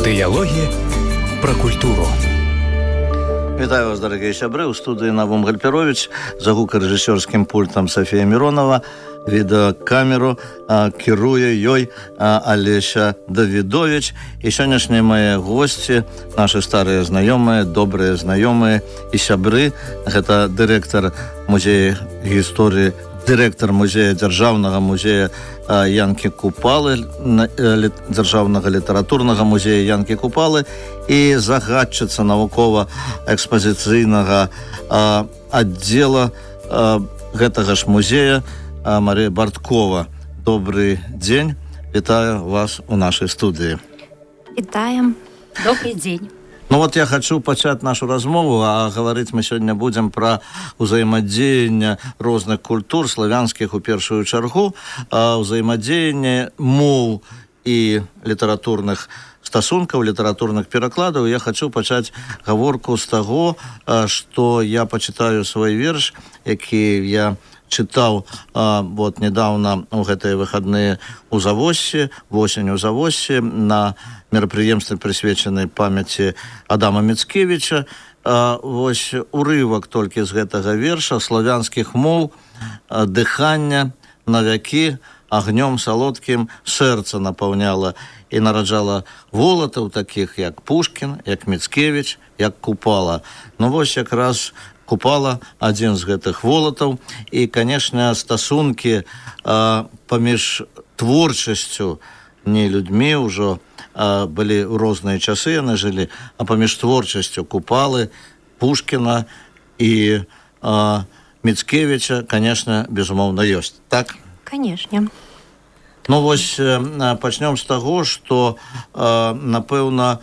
Дыялогі пра культуру. Вітаю вас, дорогие сябры. У студии Навум Гальперович, за гукарэжысёрскім пультам Софія Миронова, відэакамеру кіруе ёй Алеся Давідович. І сённяшнія мои гости, наши старые знаёмыя, добрые знаёмыя і сябры. Гэта дырэктар музея гісторыі, дырэктар музея дзяржаўнага музея Янкі Купалы, дзяржаўнага літаратурнага музея Янкі Купалы і загадчыца навукова-экспазіцыйнага аддзела гэтага ж музея Марія Барткова. Добрый дзень. Вітаю вас у нашай студыі. Вітаем. Добрый дзень. Ну вот я хочу пачаць нашу размову, а гаварыць мы сёння будзем пра ўзаемадзеянне розных культур, славянскіх у першую чаргу, ўзаемадзеянне моў і літаратурных стасункаў, літаратурных перакладаў. Я хочу пачаць гаворку з таго, што я пачытаю свой верш, які я чытаў вот недавно у гэтыя выхадныя у Завоссі, восень у Завоссі, на мерапрыемстве, прысвечанай памяці Адама Міцкевіча. Вось урывак толькі з гэтага верша: славянскіх моў дыхання на вякі агнём салодкім сэрца напаўняла і нараджала волатаў такіх, як Пушкін, як Міцкевіч, як Купала. Ну вось якраз Купала адзін з гэтых волатаў. І, канешне, стасункі паміж творчасцю, не людзьмі ўжо, былі ў розныя часы, яны жылі, а паміж творчасцю Купалы, Пушкіна і Міцкевіча, канешне, безумоўна, ёсць. Так? Канешне. Ну вось пачнём з таго, што, напэўна,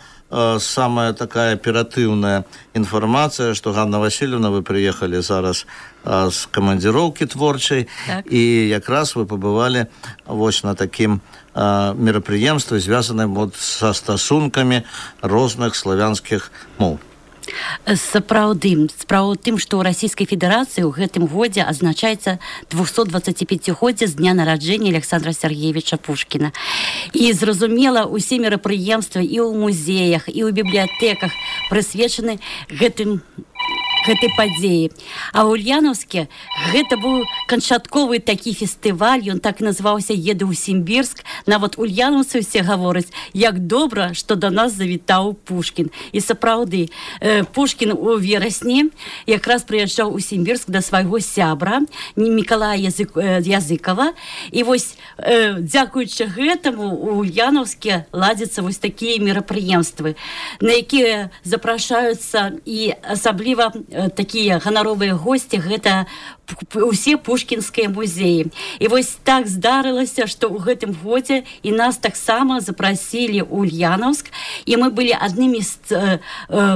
самая такая аператыўная інфармацыя, што Ганна Васильевна, вы прыехалі зараз з камандзіроўкі творчай, так. І якраз вы пабывалі вось на такім мерапрыемстве, звязаным вот са стасункамі розных славянскіх моў. Сапраўды, справа ў тым, што ў Расійскай Федэрацыі ў гэтым годзе адзначаецца 225-годдзе з дня нараджэння Александра Сергеевича Пушкіна. І, зразумела, усе мерапрыемствы і ў музеях, і ў бібліятэках прысвечаны гэтай падзеі. А ў Ульянаўске гэта быў канчатковы такі фестываль, ён так і называўся «Еду ў Сімбірск». Нават ульянаўцы ўсе гавораць, як добра, што да нас завітаў Пушкін. І сапраўды, Пушкін у верасні якраз прыязджаў у Сімбірск да свайго сябра Мікалая Языкава. І вось, дзякуючы гэтаму, у Ульянаўске ладзяцца вось такія мерапрыемствы, на якія запрашаюцца і асабліва такія ганаровыя госці, гэта усе пушкінскія музеі. І вось так здарылася, што ў гэтым годзе і нас таксама запрасілі ў Ульянаўск, і мы былі аднымі з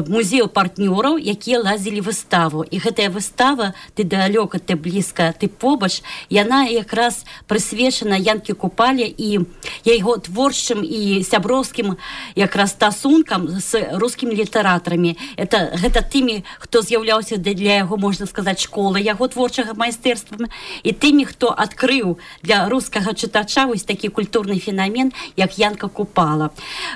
музеяў партнёраў, якія ладзілі выставу. І гэтая выстава «Ты далёка, ты блізка, ты побач», яна якраз прысвечана Янкі Купале і яго творчым і сяброўскім якраз стасункам з рускімі літаратарамі. Гэта тымі, хто з'яўляўся для яго, можна сказаць, школы яго творчага майстэрства, і тымі, хто адкрыў для рускага чытача вось такі культурны фенамен, як Янка Купала.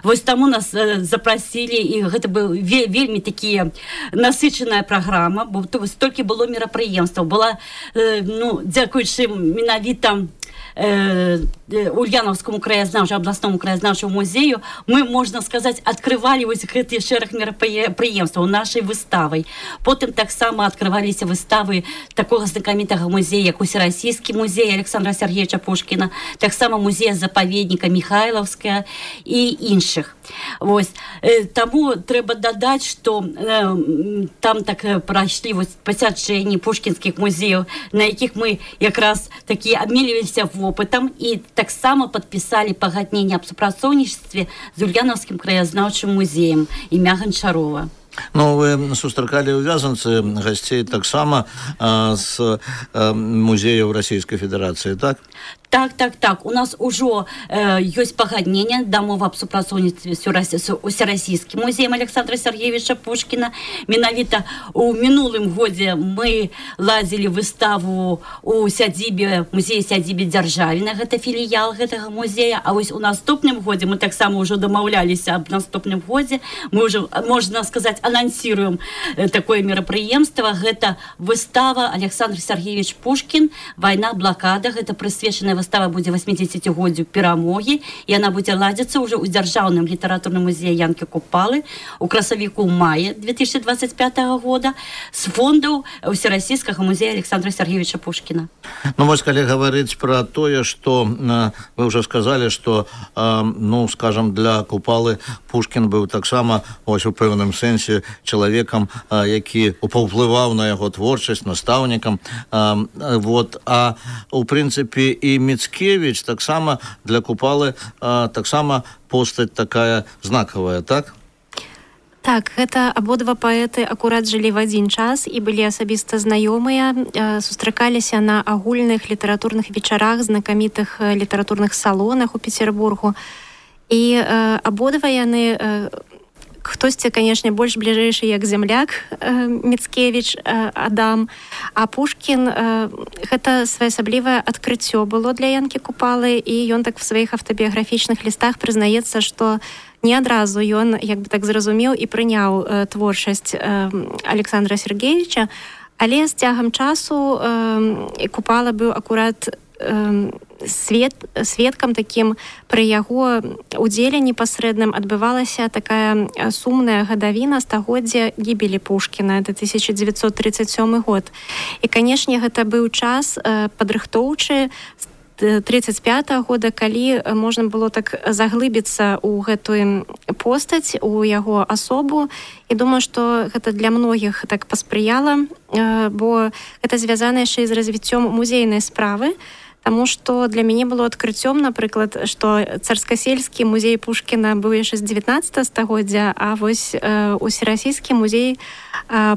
Вось таму нас запрасілі, і гэта быў вельмі такія насычаная праграма, бо столькі было мерапрыемстваў. Была, дзякуючы менавіта Ульянаўскому краязнаўчаму, абласному краязнаўчаму музею, мы, можна сказаць, адкрывалі вось гэты шэраг мерапрыемстваў нашай выставай. Потым таксама адкрываліся выставы такога знакамітага музея, як Усерасійскі музей Александра Сергеевича Пушкіна, таксама музея-запаведніка Михайлаўская і іншых. Вось. Таму трэба дадаць, што там так прайшлі пасяджэнні пушкінскіх музеяў, на якіх мы якраз такі абмеліваліся вопытам і таксама падпісалі пагадненне аб супрацоўніцтве з Ульянаўскім краязнаўчым музеем імя Ганчарова. Ну, вы сустракалі ў Вязанцы гасцей таксама з музеяў Расійскай Федэрацыі, так? Так. У нас ужо ёсць пагадненне дамова аб супрацоўніцтве з усерасійскім музеем Александра Сергеевича Пушкіна. Менавіта у мінулым годзе мы ладзілі выставу у сядзібе, музеі-сядзібе Дзяржавіна, гэта філіял гэтага музея, а вось у наступным годзе мы таксама ўжо дамаўляліся аб наступным годзе, мы ўжо, можна сказаць, анансіруем такое мерапрыемства, гэта выстава Александр Сергеевич Пушкін «Вайна, блакада», гэта прысвечаная выстава будзе 80-годдзю перамогі, і яна будзе ладзіцца ўжо ў дзяржаўным літаратурным музеі Янкі Купалы у красавіку маі 2025 года з фондаў Усерасійскага музея Александра Сергеевича Пушкіна. Ну, вось, калі гаварыць пра тое, што вы ўжо сказалі, што, ну, скажам, для Купалы Пушкін быў таксама, ось, у пэўным сэнсе чалавекам, які паўплываў на яго творчасць, настаўнікам. Вот. А у прынцыпе і Міцкевіч таксама для Купалы таксама постаць такая знакавая, так? Так, гэта абодва паэты акурат жылі в адзін час і былі асабіста знаёмыя, сустракаліся на агульных літаратурных вечарах, знакамітых літаратурных салонах у Петербургу. І абодва яны, хтосьці, канешне, больш бліжэйшы як земляк Міцкевіч Адам, а Пушкін гэта своеасаблівае адкрыццё было для Янкі Купалы, і ён так в сваіх аўтабіяграфічных лістах прызнаецца, што не адразу ён, як бы так зразумеў і прыняў творчасць Александра Сергеевича, але з цягам часу Купала быў акурат сведкам такім. Пры яго удзеле непасрэдным адбывалася такая сумная гадавіна стагоддзя гібелі Пушкіна, это 1937 год. І, канешне, гэта быў час падрыхтоўчы 1935 года, калі можна было так заглыбіцца ў гэтую постаць, у яго асобу. І думаю, што гэта для многіх так паспрыяла, бо гэта звязана яшчэ з развіццём музейнай справы. Таму што для мяне было адкрыццём, напрыклад, што царскасельскі музей Пушкіна быў яшчэ з 19 стагоддзя, а вось усерасійскі музей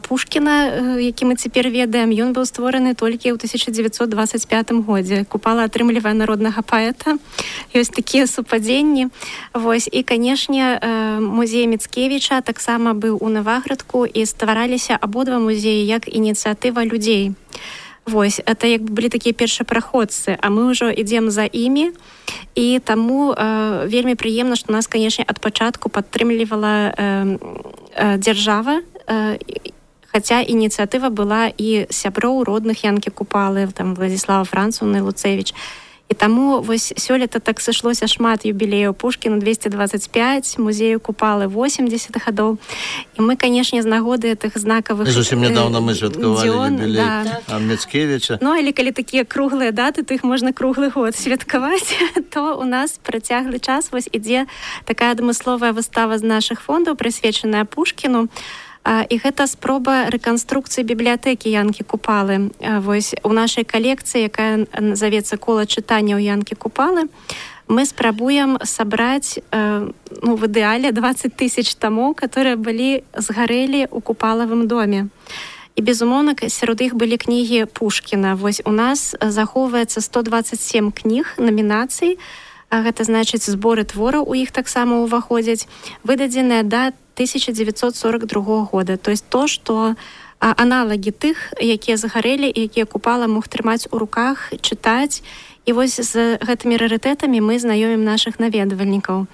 Пушкіна, які мы цяпер ведаем, ён быў створаны толькі ў 1925 годзе. Купала атрымлівае народнага паэта. Ёсць такія супадзенні. Вось. І, канешне, музей Міцкевіча таксама быў у Наваградку, і ствараліся абодва музеі як ініцыятыва людзей. Вось, это як бы былі такія першапраходцы, а мы ўжо ідзем за імі, і таму вельмі прыемна, што нас, канешне, ад пачатку падтрымлівала дзяржава, хаця ініцыятыва была і сяброў родных Янкі Купалы, там Владзіслава Францаўны, Луцевіч. І таму вось сёлета так сышлося шмат юбілеяў Пушкіну, 225, музею Купалы 80 гадоў. І мы, канешне, з нагоды гэтых знакавых зусім нядаўна мы святкавалі юбілей Міцкевіча. Ну, але калі такія круглыя даты, то іх можна круглы год святкаваць, то у нас працяглы час вось ідзе такая адмысловая выстава з нашых фондаў, прысвечаная Пушкіну. І гэта спроба рэканструкцыі бібліятэкі Янкі Купалы. Вось у нашай калекцыі, якая назавецца «Кола чытанняў Янкі Купалы», мы спрабуем сабраць в ідэале 20 000 тамоў, которые былі згарэлі ў Купалавым доме. І, безумоўна, сярод іх былі кнігі Пушкіна. Вось у нас захоўваецца 127 кніг, номінацый. Гэта значыць, зборы твораў у іх таксама ўваходзяць, выдадзеныя да 1942 года. То есть то, што аналагі тых, якія загарэлі і якія Купала мог трымаць у руках, чытаць. І вось з гэтымі рарытэтамі мы знаёмім нашых наведвальнікаў.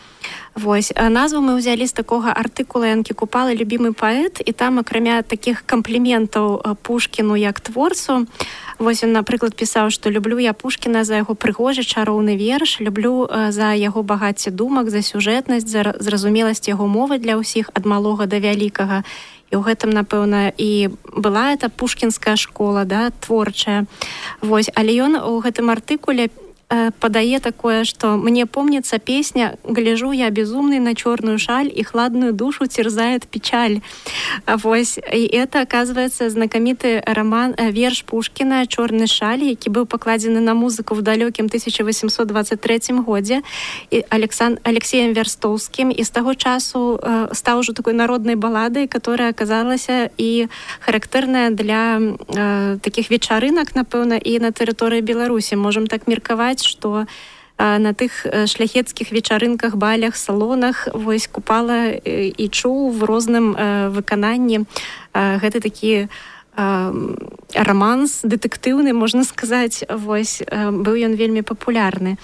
Вось. Назву мы ўзялі з такога артыкула Янкі Купалы «Любімы паэт», і там, акрамя такіх кампліментаў Пушкіну як творцу, вось ён, напрыклад, пісаў, што люблю я Пушкіна за яго прыгожы чароўны верш, люблю за яго багацце думак, за сюжэтнасць, за зразумеласць яго мовы для ўсіх ад малога да вялікага. І ў гэтым, напэўна, і была эта пушкінская школа, да, творчая. Вось. Але ён у гэтым артыкуле падае такое, что мне помнится песня «Гляжу я безумный на черную шаль, и хладную душу терзает печаль». Вось. И это, оказывается, знакомитый роман, верш Пушкина «Чорны шаль», які быў пакладзены на музыку в далёкім 1823 годзе Алексеем Верстоўскім, и с того часу стал уже такой народной балладой, которая оказалась и характерная для таких вечарынак, напэўна, и на тэрыторыі Беларусі. Можем так меркаваць, ведаюць, што на тых шляхецкіх вечарынках, балях, салонах вось Купала і чуў в розным выкананні гэты такі романс дэтэктыўны, можна сказаць, вось быў ён вельмі папулярны.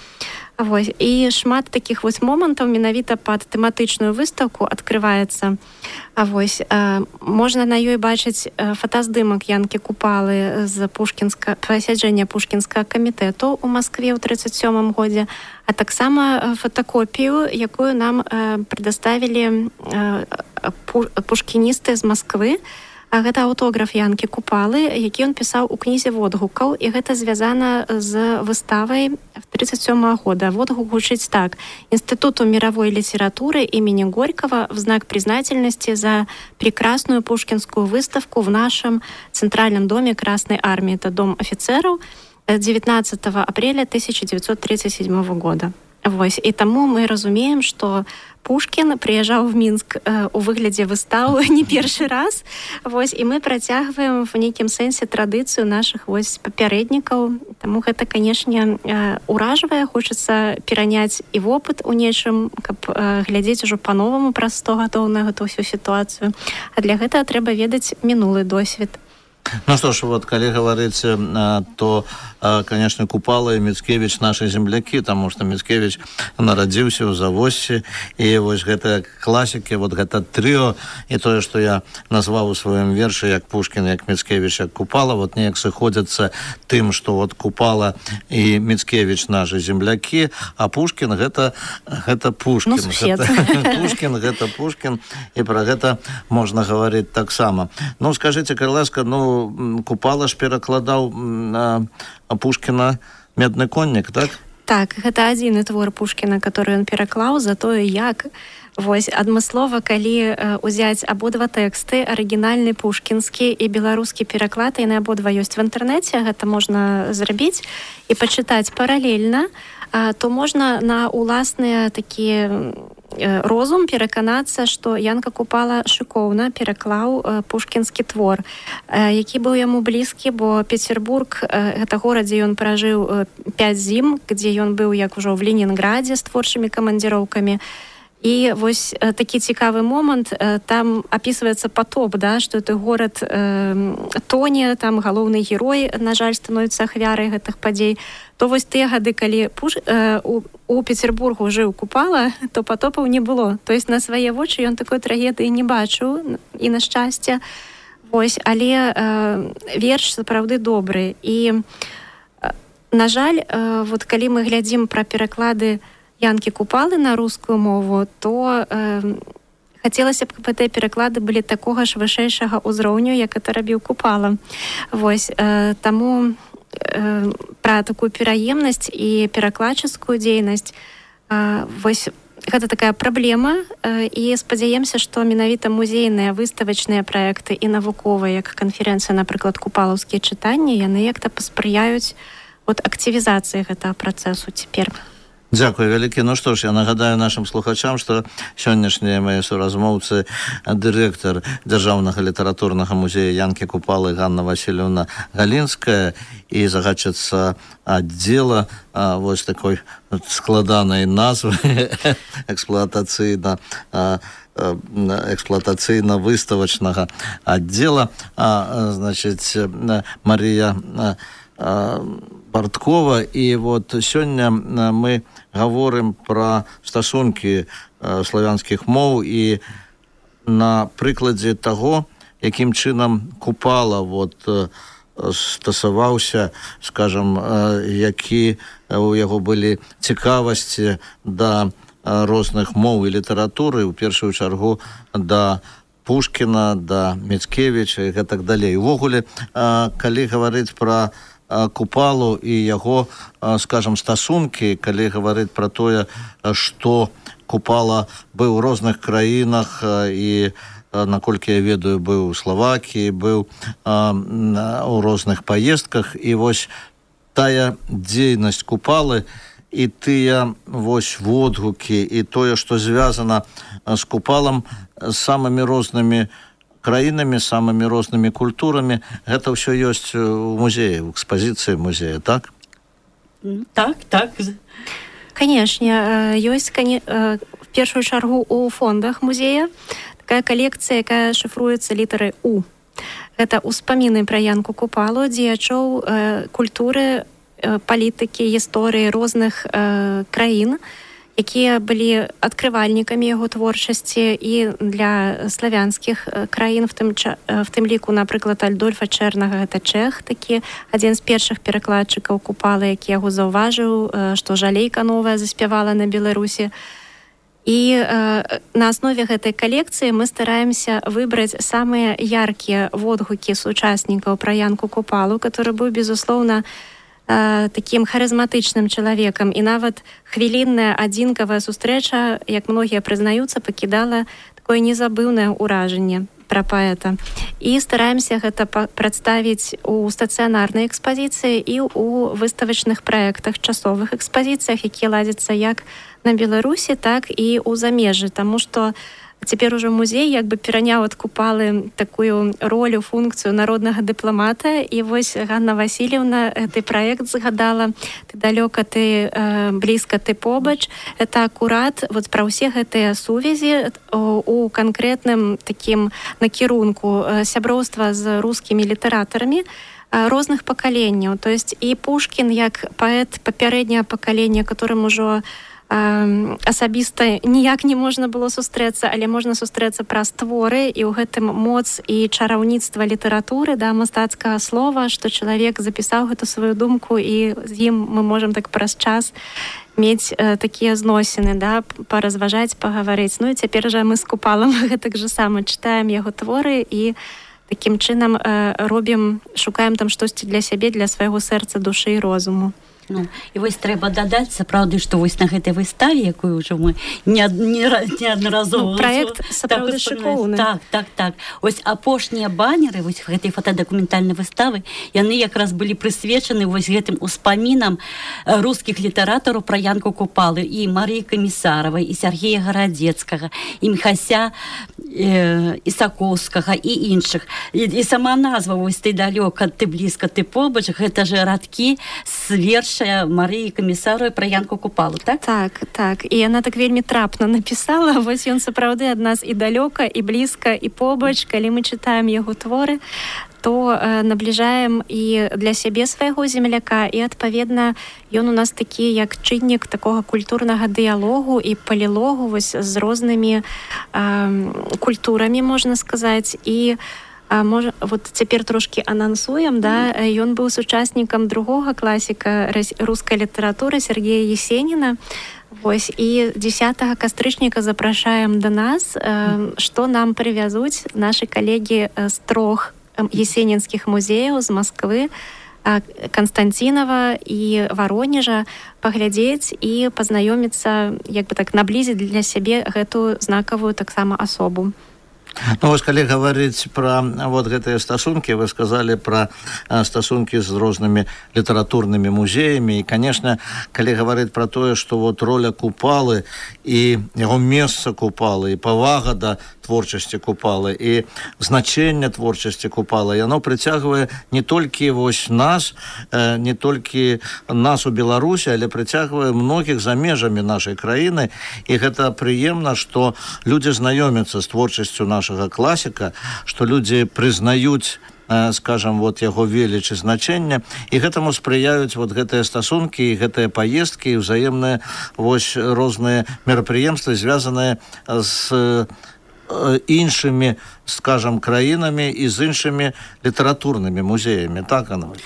Вось. І шмат такіх вось момантаў менавіта пад тэматычную выстаўку адкрываецца. Вось. Можна на ёй бачыць фотаздымак Янкі Купалы з пасяджэння Пушкінскага камітэту ў Маскве ў 1937 годзе, а таксама фотакопію, якую нам прадаставілі пушкіністы з Масквы. Гэта аўтограф Янкі Купалы, які ён пісаў у кнізе водгукаў, і гэта звязана з выставай 1937 года. Водгук гучыць так: Институту мировой литературы имени Горького в знак признательности за прекрасную пушкинскую выставку в нашем Центральном доме Красной Армии. Это дом офицеров 19 апреля 1937 года. Вось. І таму мы разумеем, што Пушкін прыязджаў в Мінск у выглядзе выстаў не першы раз. Вось. І мы працягваем в нейкім сэнсе традыцыю нашых вось папярэднікаў. Таму гэта, канешне, уражвае. Хочацца пераняць і вопыт у нечым, каб глядзець ужо па-новаму праз 100 гадоў на гэту ўсю сітуацыю. А для гэтага трэба ведаць мінулы досвед. Ну что ж, вот, коли говорить, то, конечно, Купала и Мицкевич наши земляки, потому что Мицкевич народился в Завоссе, и вот это классики, вот это трио, и то, что я назвал у своем верше, як Пушкин, як Мицкевич, як Купала, вот неяк сыходится тем, что вот Купала и Мицкевич наши земляки, а Пушкин это Пушкин. Ну, сусед. Пушкин, это Пушкин, и про это можно говорить так само. Ну, скажите, Карласка, ну, Купала ж перакладаў Пушкіна «Медны коннік», так? Так, гэта адзіны твор Пушкіна, который ён пераклаў, за тое, як вось адмыслова, калі узяць абодва тэксты, арыгінальны пушкінскі і беларускі пераклад, яны абодва ёсць в інтэрнэце, гэта можна зрабіць і пачытаць паралельна, то можна на уласныя такія розум пераканацца, што Янка Купала шыкоўна пераклаў пушкінскі твор, які быў яму блізкі, бо Петербург — гэта горад, дзе ён пражыў 5 зім, дзе ён быў як ужо в Ленінградзе з творчымі камандзіроўкамі. І вось такі цікавы момант, там апісваецца потоп, да, што гэты горад тоне, там галоўны герой, на жаль, становіцца ахвярай гэтых падзей. То вось тыя гады, калі у Петербургу жыў Купала, то потопаў не было. То есть на свае вочы ён такой трагедыі не бачыў, і на шчасце. Вось, але верш сапраўды добры. І, на жаль, вот калі мы глядзім пра пераклады Янкі Купалы на рускую мову, то хацелася б, каб гэтыя пераклады былі такога ж вышэйшага ўзроўню, як гэта рабіў Купала. Вось, таму пра такую пераемнасць і перакладчыцкую дзейнасць, вось гэта такая праблема, і спадзяемся, што менавіта музейныя выставачныя праекты і навуковыя, як канферэнцыя, напрыклад, купалаўскія чытанні, яны як-то паспрыяюць от актывізацыі гэтага працэсу цяпер. Дзякуй вялікі. Ну што ж, я нагадаю нашим слухачам, што сённяшнія мае суразмоўцы дырэктар Дзяржаўнага літаратурнага музея Янкі Купалы Ганна Васильевна Галінская і загадчыца аддзела вось такой складанай назвы эксплуатацыйна-выставачнага аддзела, значыць, Марія Барткова. І вот сёння мы гаворым пра стасункі славянскіх моў і на прыкладзе таго, якім чынам Купала вот стасаваўся, скажам, які у яго былі цікавасці да розных моў і літаратуры, у першую чаргу да Пушкіна, да Мицкевіча і гэтак далей. Увогуле, калі гаварыць пра Купалу і яго, скажем, стасункі, калі гаварыць пра тое, што Купала быў у розных краінах і, наколькі я ведаю, быў у Словакіі, быў у розных паездках, і вось тая дзейнасць Купалы і тыя вось водгукі і тое, што звязана з Купалам, з самымі рознымі краінамі, самымі рознымі культурамі, гэта ўсё ёсць у музеі, у экспазіцыі музея, так? Так. Конечно, ёсць в першую чаргу у фондах музея такая калекцыя, якая шыфруецца літарай У. Гэта ўспаміны пра Янку Купалу, дзеячоў культуры, палітыкі, гісторыі розных краін, якія былі адкрывальнікамі яго творчасці і для славянскіх краін, в тым ліку, напрыклад, Адольфа Чэрнага, гэта чэх, такі адзін з першых перакладчыкаў Купалы, які яго заўважыў, што жалейка новая заспявала на Беларусі. І на аснове гэтай калекцыі мы стараемся выбраць самыя яркія водгукі сучаснікаў пра Янку Купалу, который быў, безусловна, таким харызматычным чалавекам, і нават хвілінная адзінкавая сустрэча, як многія прызнаюцца, пакідала такое незабыўнае ўражанне пра паэта. І стараемся гэта прадставіць у стацыянарнай экспазіцыі і ў выставачных праектах, часовых экспазіцыях, якія ладзяцца як на Беларусі, так і ў замежжы, таму што цяпер ужо музей як бы пераняў ад Купалы такую ролю, функцыю народнага дыпламата. І вось Ганна Васильевна гэты праект згадала «Ты далёка, ты блізка, ты побач». Это акурат вот пра ўсе гэтыя сувязі у канкрэтным такім накірунку сяброўства з рускімі літаратарамі розных пакаленняў. То есть і Пушкін як паэт папярэдняга пакалення, которым ужо асабіста ніяк не можна было сустрэцца, але можна сустрэцца праз творы, і ў гэтым моц і чараўніцтва літаратуры, да, мастацкага слова, што чалавек запісаў гэту сваю думку, і з ім мы можам так праз час мець такія зносіны, да, паразважаць, пагаварыць. Ну і цяпер жа мы з Купалам гэтак жа сама чытаем яго творы і такім чынам шукаем там штосьці для сябе, для свайго сэрца, душы і розуму. Ну, і вось трэба дадаць, сапраўды, што вось на гэтай выставе, якую ўжо мы неаднаразова... Праект сапраўды шыкоўны. Так. Вось апошнія баннеры вось гэтай фотадакументальнай выставы, яны якраз былі прысвечаны вось гэтым успамінам рускіх літаратараў пра Янку Купалу, і Марыі Камісаравай, і Сергея Гарадзецкага, і Міхася Ісакоўскага, і іншых. І сама назва вось «Ты далёка, ты блізка, ты побач», гэта ж радкі з верша Марыі Камісаровай пра Янку Купалу, так? Так. І яна так вельмі трапна напісала. Вось ён сапраўды ад нас і далёка, і блізка, і побач. Калі мы чытаем яго творы, то набліжаем і для сябе свайго земляка, і, адпаведна, ён у нас такі, як чыннік такога культурнага дыялогу і палілогу вось з рознымі культурамі, можна сказаць. І можа, вот цяпер трошкі анансуем, да, ён быў сучаснікам другога класіка рускай літаратуры Сергея Есеніна. Вось, і 10 кастрычніка запрашаем да нас, што нам прывязуць нашы калегі з 3 есенінскіх музеяў з Масквы, Константинова і Воронежа, паглядзець і пазнаёміцца, як бы так наблізіць для сябе гэтую знакавую таксама асобу. Ну, вось, калі гаварыць пра вот гэтыя стасункі, вы сказалі пра стасункі з рознымі літаратурнымі музеямі, і, конечно, калі гаварыць пра тое, што вот роля Купалы і яго месца Купалы, і павага да творчасці Купалы, і значэнне творчасці Купалы, яно прыцягвае не толькі вось нас, не толькі нас у Беларусі, але прыцягвае многіх за межамі нашай краіны, і гэта прыемна, што людзі знаёмяцца з творчасцю нашага класіка, што людзі прызнаюць, скажем, вот яго веліч і значэнне, і гэтаму спрыяюць вот гэтыя стасункі, і гэтыя паездкі, і ўзаемныя вось розныя мерапрыемствы, звязаныя з іншымі, скажем, краінамі і з іншымі літаратурнымі музеямі, так, Анна?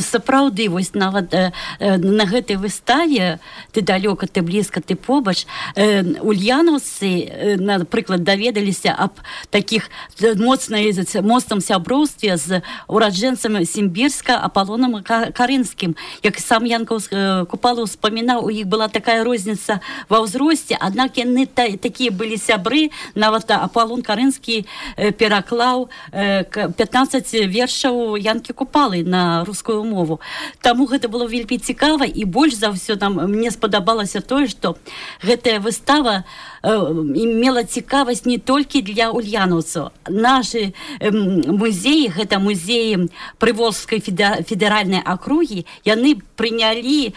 Сапраўды, вось нават на гэтай выставе «Ты далёка, ты блізка, ты побач» ульянаўцы, напрыклад, даведаліся аб такіх моцным сяброўстве з ураджэнцам Сімбірска Аполлонам Карынскім. Як сам Янка Купала ўспамінаў, у іх была такая розніца ва ўзросце, аднак яны такія былі сябры, нават Аполлон Карынскі пераклаў 15 вершаў Янкі Купалы на рускую мову. Таму гэта было вельмі цікава, і больш за ўсё мне спадабалася тое, што гэтая выстава имела цікавасць не толькі для ульянаўцаў. Нашы музеі, гэта музеі Прыволжскай федэральнай акругі, яны прынялі,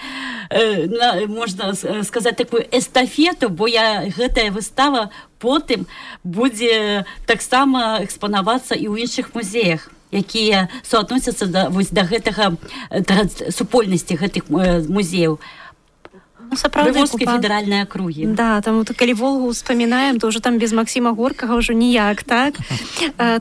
можна сказаць, такую эстафету, бо гэтая выстава потым будзе таксама экспанавацца і ў іншых музеях, якія суадносяцца да гэтага супольнасці гэтых музеяў. Прыволжскай федэральнай акругі. Да, там калі Волгу успамінаем, то ўжо там без Максіма Горкага ўжо ніяк, так?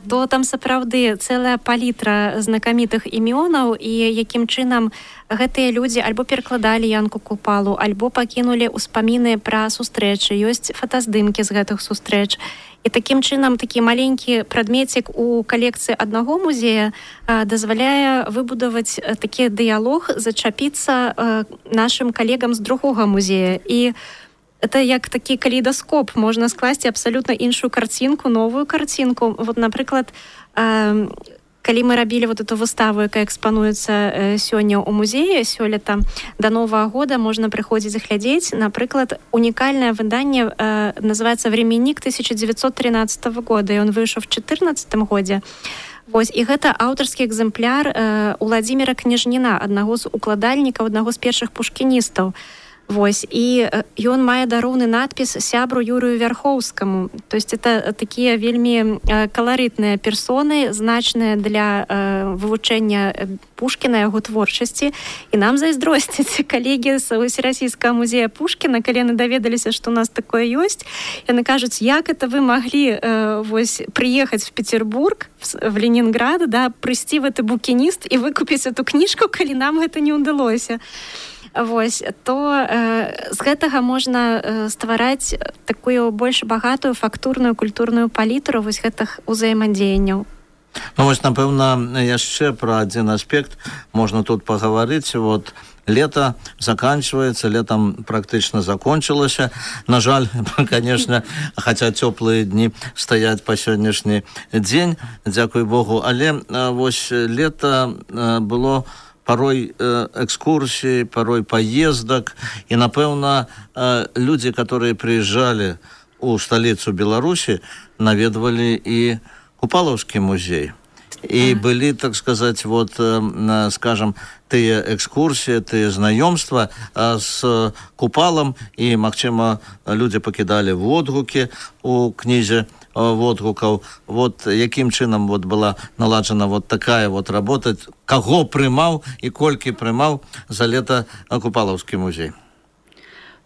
То там сапраўды цэлая палітра знакамітых імёнаў, і якім чынам гэтыя людзі альбо перакладалі Янку Купалу, альбо пакінулі ўспаміны пра сустрэчы, ёсць фотаздымкі з гэтых сустрэч. І такім чынам такі маленькі прадмецік у калекцыі аднаго музея дазваляе выбудаваць такі дыялог, зачапіцца нашым калегам з другога музея. І это як такі калейдаскоп, можна скласці абсалютна іншую карцінку, новую карцінку. Вот, напрыклад, калі мы рабілі вот эту выставу, якая экспануецца сёння ў музеі, сёлета да Новага года можна прыходзіць глядзець. Напрыклад, унікальнае выданне называецца «Временник» 1913 года, і он выйшаў в 2014 годзе. Вось, і гэта аўтарскі экземпляр Уладзіміра Княжніна, аднаго з укладальнікаў, аднаго з першых пушкіністаў. Вось, і ён мае дароўны надпіс сябру Юрыю Вярхоўскаму. То есть это такія вельмі каларытныя персоны, значныя для вывучэння Пушкіна, яго творчасці. І нам зайздросцяць калегі з Усерасійскага музея Пушкіна, калі яны даведаліся, што у нас такое ёсць. Яны кажуць, як это вы маглі приехаць в Петербург, в Ленинград, да, прыйсці в гэты букініст і выкупіць эту кніжку, калі нам гэта не ўдалося. Вось, то з гэтага можна ствараць такую больш багатую фактурную культурную палітру вось гэтых узаемадзеянняў. Ну вось, напэўна, яшчэ пра адзін аспект можна тут пагаварыць. Вот лето заканчивается, летом практычна закончылася. На жаль, конечно, хотя цёплыя дні стаяць па сённяшні дзень, дзякуй Богу, але вось лето было порой экскурсий, порой поездок. И, напэўна, люди, которые приезжали у столицу Беларуси, наведывали и Купалаўскі музей. И были, так сказать, вот, скажем, тыя экскурсии, тыя знаёмства с Купалам, и, магчыма, люди покидали водгукі у кнізе водгукаў. Вот якім чынам вот была наладжена вот такая вот работа, каго прымаў і колькі прымаў за лета Купалаўскі музей?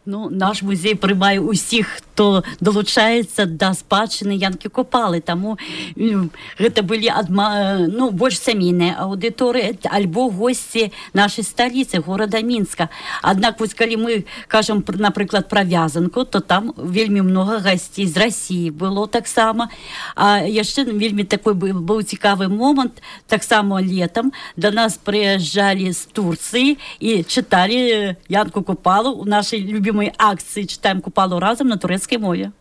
Ну, наш музей прымае ўсіх, хто долучаецца да спадчыны Янкі Купалы. Таму гэта былі больш сямейныя аўдыторыі альбо госці нашай сталіцы, горада Мінска. Аднак, вось калі мы кажам, напрыклад, пра вязанку, то там вельмі многа гасцей з Расіі было таксама. А яшчэ вельмі такой быў цікавы момант. Таксама летам да нас прыязджалі з Турцыі і чыталі Янку Купалу у нашай любімай акцыі «Чытаем Купалу разам» на турэцкай мове.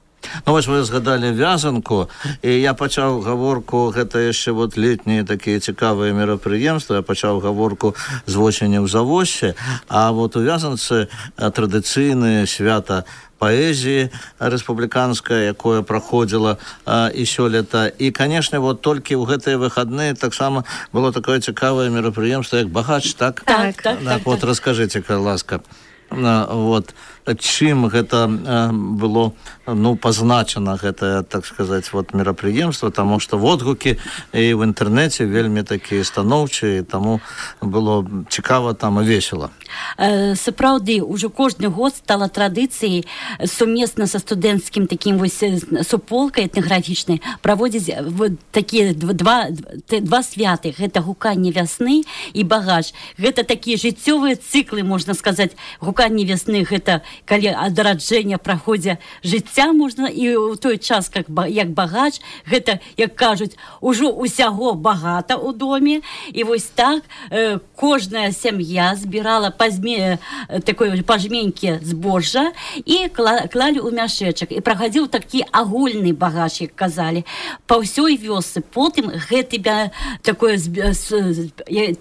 Ну, вось вы згадалі вязанку, і я пачаў гаворку, гэта яшчэ вот летнія такія цікавыя мерапрыемствы, я пачаў гаворку з восені ў Завоссе, а вот у вязанцы традыцыйнае свята паэзіі рэспубліканская, якое праходзіла і сёлета. І, канешне, вот толькі ў гэтыя выхадныя таксама было такое цікавае мерапрыемства, як «Багач», так? Так. Вот раскажыце, калі ласка. Вот чым гэта было пазначана гэтае, так сказаць, вот мерапрыемства, таму што водгукі і ў інтэрнэце вельмі такія станоўчыя, таму было цікава там і весела. Сапраўды, ужо кожны год стала традыцыяй сумесна са студэнцкім такім вось суполкай этнаграфічнай праводзіць такія два святы. Гэта гуканне вясны і багач. Гэта такія жыццёвыя цыклы, можна сказаць. Гуканне вясны — гэта калі адраджэння праходзе жыцця можна і ў той час як багач, гэта, як кажуць, ужо усяго багата ў доме, і вось так кожная сям'я збірала такое пажменькі збожжа і клалі ў мяшэчак, і прахадзіў такі агульны багач, як казалі, па ўсёй вёсцы. Потым гэты такое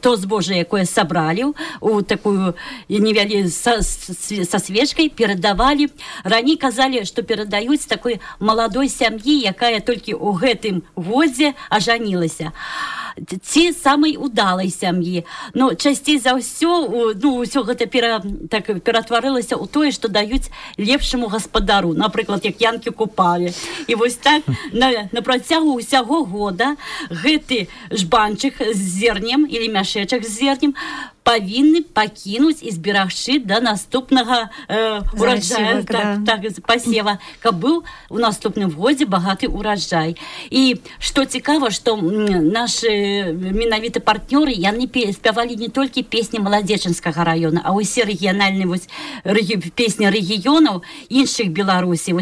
то збожжа, якое сабралі у такую со свечкой, перадавалі. Раней казалі, што перадаюць такой маладой сям'і, якая толькі ў гэтым годзе ажанілася, ці самай удалай сям'і. Но часцей за ўсё, ўсё гэта ператварылася ў тое, што даюць лепшаму гаспадару, напрыклад, як янкі купалі. І вось так на працягу ўсяго года гэты жбанчык з зернем или мяшэчак з зернем павінны пакінуць і зберагчы да наступнага ураджая, пасева, каб быў у наступным годзе багаты ураджай. І што цікава, што нашы менавіта партнёры, яны спявалі не толькі песні Маладзечынскага раёна, а ўсе рэгіянальныя песні рэгіёнаў іншых Беларусі,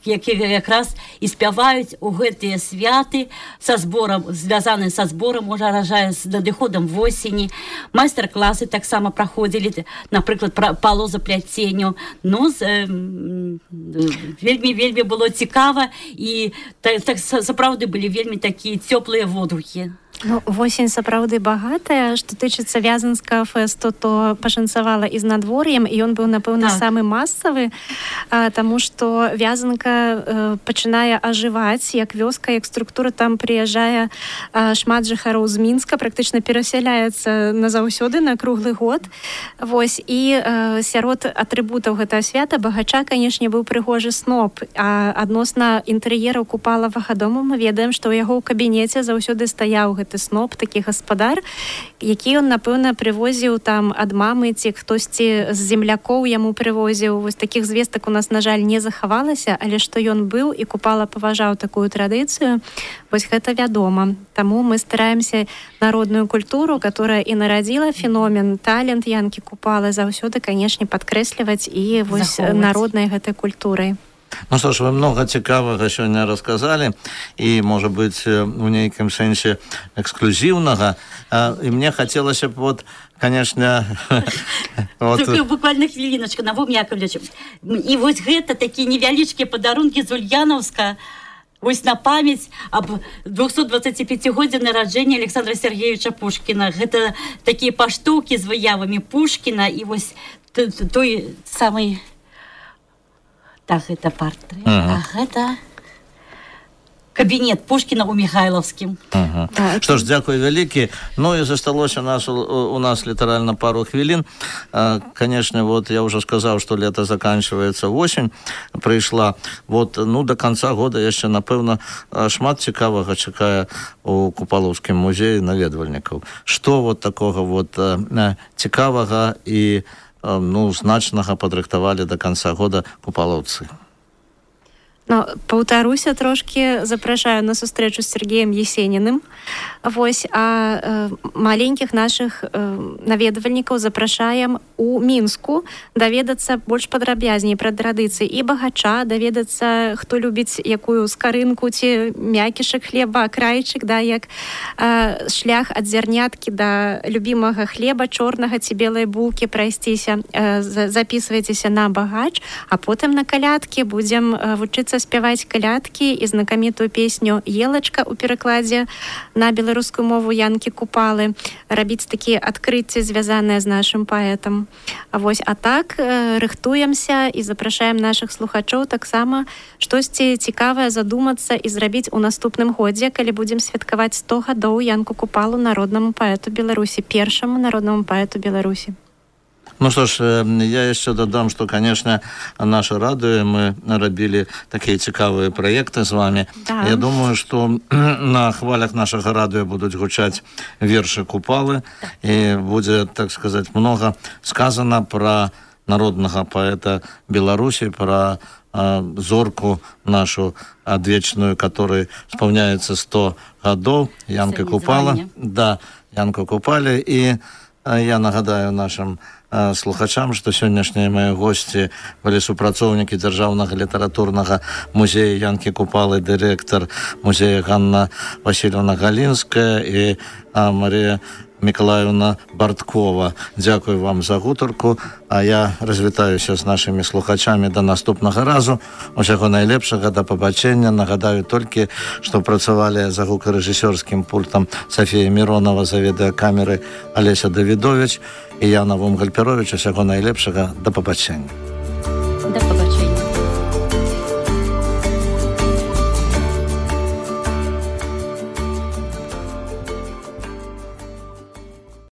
якія якраз і спяваюць у гэтыя святы са зборам, звязаны са зборам ураджая, з надыходам восені. Майстар-класы таксама праходзілі, напрыклад, па лозапляценню. Вельмі было цікава, і сапраўды былі вельмі такія цёплыя водгукі. Восень сапраўды багатая. Што тычыцца вязанскага фэсту, то пашанцавала і з надвор'ем, і ён быў, напэўна, самы масавы, таму што вязанка пачынае ажываць, як вёска, як структура. Там прыязджае шмат жыхароў з Мінска, практычна перасяляецца назаўсёды на круглы год. Вось, і сярод атрыбутаў гэтага свята багача, канешне, быў прыгожы сноп. А адносна інтэр'ераў купалавага дому мы ведаем, што ў яго ў кабінеце заўсёды стаяў гэты сноп, такі гаспадар, які ён, напэўна, прывозіў там ад мамы, ці хтосьці з землякоў яму прывозіў. Вось такіх звестак у нас, на жаль, не захавалася, але што ён быў і купала паважаў такую традыцыю, вось гэта вядома. Таму мы стараемся народную культуру, которая і нарадзіла феномен, талент янкі купалы, заўсёды, канешне, падкрэсліваць і вось народнай гэтай культурай. Ну што ж, вы много цікавага сёння расказалі, і, можа быць, у нейкім сэнсе эксклюзіўнага. І мне хацелася б, конечно... Буквально хвіліночку, Навум Яковлевич. І вось гэта такія невялічкія падарункі з Ульяновска, вось на памяць аб 225-годзе нараджэння Александра Сергеевича Пушкіна. Гэта такія паштоўкі з выявамі Пушкіна, і вось той самый... Так, гэта партрэт, а гэта кабінет Пушкіна ў Михайловскім. Што ж, дзякуй вялікі. Ну і засталося у нас літаральна пару хвілін. Конечно, вот я уже сказаў, што лето заканчивается, осень прыйшла. Вот, до конца года яшчэ, напэўна, шмат цікавага чакае у Купалаўскім музеі наведвальнікаў. Што вот такога вот цікавага і значнага падрыхтавалі до конца года купалаўцы? Паўтаруся трошки, запрашаю на сустрэчу з Сергеем Есениным. Вось, а маленькіх нашых наведвальнікаў запрашаем у Мінску даведацца больш падрабязней пра традыцыі і багача, даведацца, хто любіць якую скарынку ці мякішак хлеба, крайчык, як шлях ад зярняткі да любімага хлеба, чорнага ці белай булкі прайсціся. Записывайцеся на багач, а потым на калядкі будзем вучыцца спяваць калядкі і знакамітую песню «Елачка» у перакладзе на беларускую мову янкі купалы, рабіць такія адкрыцці, звязаныя з нашым паэтам. Вось, а так рыхтуемся і запрашаем нашых слухачоў таксама штосьці цікавае задумацца і зрабіць у наступным годзе, калі будзем святкаваць 100 гадоў янку купалу народнаму паэту Беларусі, першаму народнаму паэту Беларусі. Ну что ж, я еще додам, что, конечно, наше радио, мы рабілі такие цікавые проекты с вами. Да. Я думаю, что на хвалях нашего радио будут гучать верши Купалы, и будет, так сказать, много сказано про народного поэта Беларуси, про зорку нашу адвечную, которой исполняется 100 годов, Янка Купала. Да, Янку Купали, и Я нагадаю нашим слухачам, што сённяшнія мае госці былі супрацоўнікі Дзяржаўнага літаратурнага музея Янкі Купалы, дырэктар музея Ганна Васильевна Галінская і Марія Миколаевна Барткова. Дзякую вам за гутарку, а я развітаюся з нашымі слухачамі да наступнага разу. Усяго найлепшага, да пабачэння. Нагадаю толькі, што працавалі за гукарэжысёрскім пультам Софія Миронова, за відэакамеры Алеся Давідович і Яна Вумгальперович. Усяго найлепшага, да пабачэння.